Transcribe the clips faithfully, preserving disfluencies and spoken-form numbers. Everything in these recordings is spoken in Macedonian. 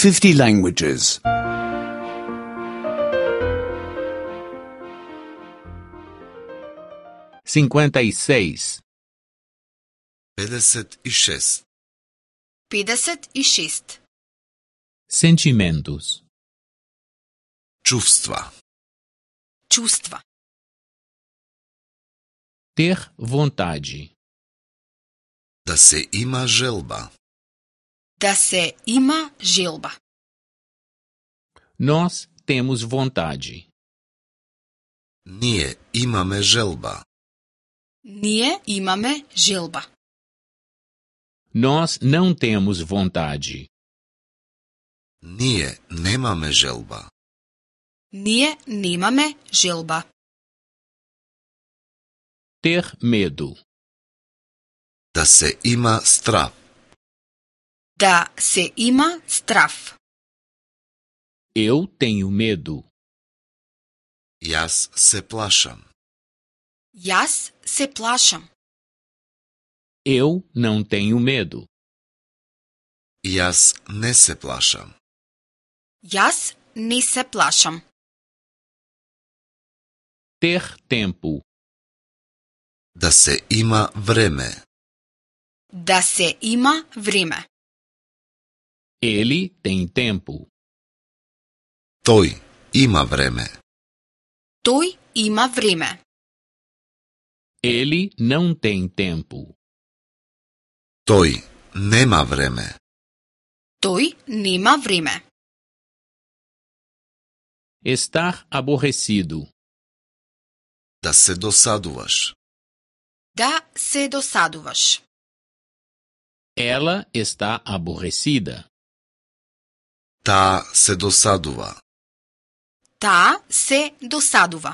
fifty languages. cinquenta e seis. педесет и шест. педесет и шест. Sentimentos. Чувства. Чувства. Ter vontade. Да се има желба. Да се има желба. Nós temos vontade. Ние имаме желба. Ние имаме желба. Nós não temos vontade. Ние немаме желба. Ние немаме желба. Ter medo. Да се има страв. Да се има страв. Eu tenho medo. Јас се плашам. Јас се плашам. Eu não tenho medo. Јас не се плашам. Јас не се плашам. Ter tempo. Да се има време. Да се има време. Ele tem tempo. Тој има време. Тој има време. Ele não tem tempo. Тој нема време. Тој нема време. Estar aborrecido. Да се досадуваш. Да се досадуваш. Ela está aborrecida. Таа се досадува. Таа се досадува.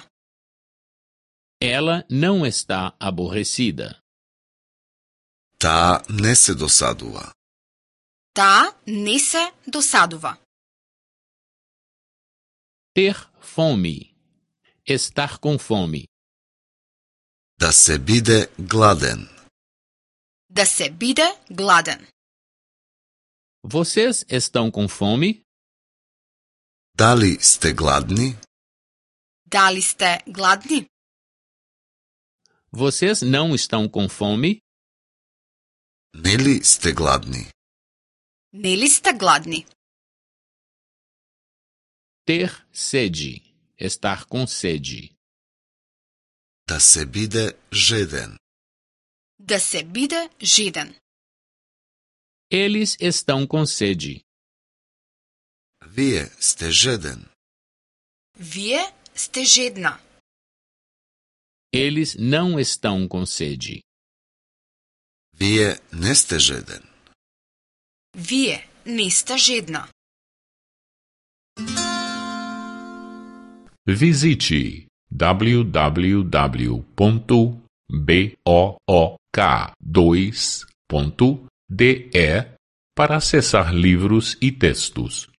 Ela não está aborrecida. Таа не се досадува. Таа не се досадува. Ter fome. Estar com fome. Да се биде гладен. Да се биде гладен. Vocês estão com fome? Дали сте гладни? Дали сте гладни? Vocês não estão com fome? Нели сте гладни? Нели сте гладни? Ter sede. Estar com sede. Да се биде жеден. Да се биде жеден. Eles estão com sede. Вие сте жеден. Вие сте жедна. Eles não estão com sede. Вие не сте жеден. Вие не сте жедна. Visite w w w ponto book dois ponto d e para acessar livros e textos.